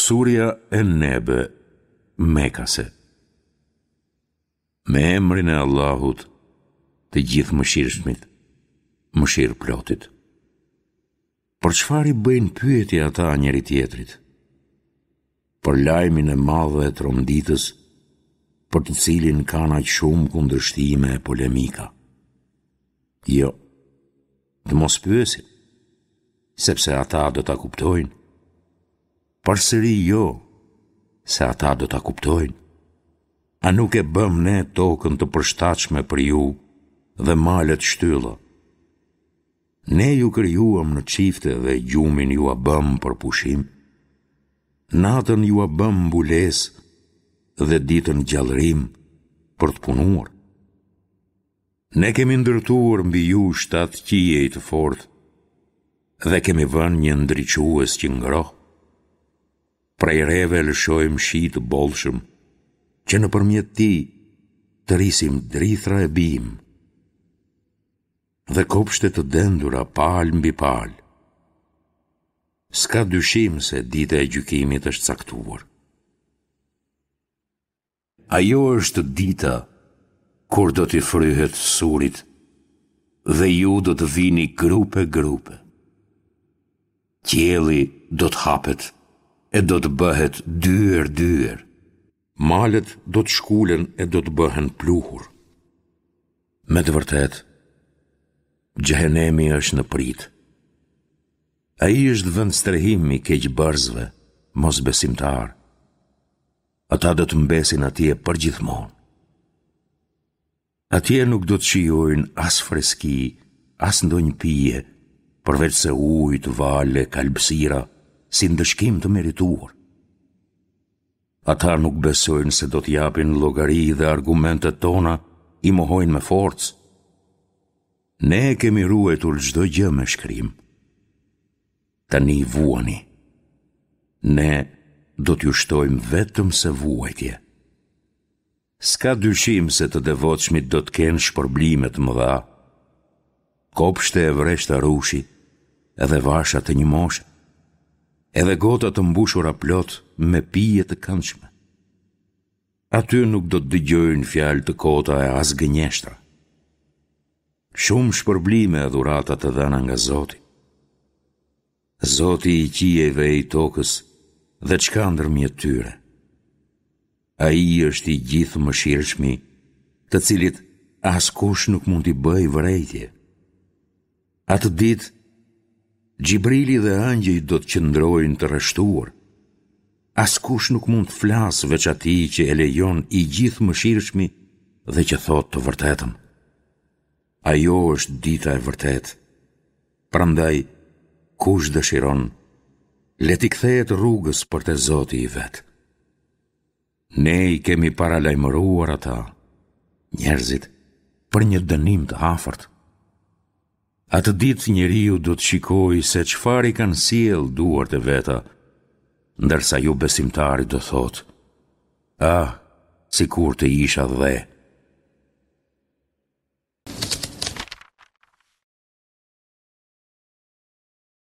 Surja En-Nebe, Mekase. Me emrin e Allahut, të Gjithëmëshirshmit, mëshirëplotit. Për çfarë i bëjnë pyetje ata njëri-tjetrit? Për lajmin e madh e tronditës, për të cilin kanë aq shumë kundërshtime e polemika. Jo, të mos pyesin, sepse ata do ta kuptojnë. Përsëri jo, se ata do ta kuptojnë. A nuk e bëmë ne tokën të përshtatshme për ju dhe malet shtylla? Ne ju krijuam në çifte dhe gjumin jua bëmë për pushim. Natën jua bëmë mbulesë dhe ditën gjallërim për të punuar. Ne kemi ndërtuar mbi ju shtatë qiej të fortë dhe kemi vënë një ndriçues që ngroh. Prej reve lëshojmë shi të bollshëm, që nëpërmjet tij të rrisim drithëra e bimë dhe kopshte të dendura palë mbi palë. S'ka dyshim se dita e gjykimit është caktuar. Ajo është dita kur do t'i fryhet surit dhe ju do të vini grupe grupe. Qielli do të hapet e do të bëhet dyer dyer. Malet do të shkulen e do të bëhen pluhur. Me të vërtetë, xhehenemi është në pritë. Ai është vendstrehim i keqbërësve, mosbesimtarë. Ata do të mbesin atje përgjithmonë. Atje nuk do të shijojnë as freski, as ndonjë pije, përveçse ujë të valë e kalbësira, si ndëshkim të merituar. Ata nuk besojnë se do të japin llogari dhe argumentet tona i mohojnë me forcë. Ne e kemi ruajtur çdo gjë me shkrim. Tani vuani. Ne do t'ju shtojmë vetëm se vuajtje. S'ka dyshim se të devotshmit do të kenë shpërblime të mëdha. Kopshte e vreshta rrushi, edhe vasha të njëmoshe, edhe gota të mbushura plot me pije të këndshme. Aty nuk do të dëgjojnë fjalë të kota e as gënjeshtra. Shumë shpërblime e dhurata të dhëna nga Zoti. Zoti i qiejve e i tokës dhe ç'ka ndërmjet tyre. Ai është i Gjithëmëshirshmi, të cilit askush nuk mund t'i bëjë vërejtje. Atë ditë, Xhibrili dhe ëngjëjt do të qëndrojnë të rreshtuar. Askush nuk mund të flasë veç atij që e lejon i Gjithëmëshirshmi dhe që thotë të vërtetën. Ajo është dita e vërtetë. Prandaj, kush dëshiron, le t'i kthehet rrugës për te Zoti i vet. Ne i kemi paralajmëruar ata, njerëzit, për një dënim të afërt. Atë ditë njeriu do të shikojë se çfarë i kanë sjellë duart e veta, ndërsa jobesimtari do thotë, ah, sikur të isha dhe.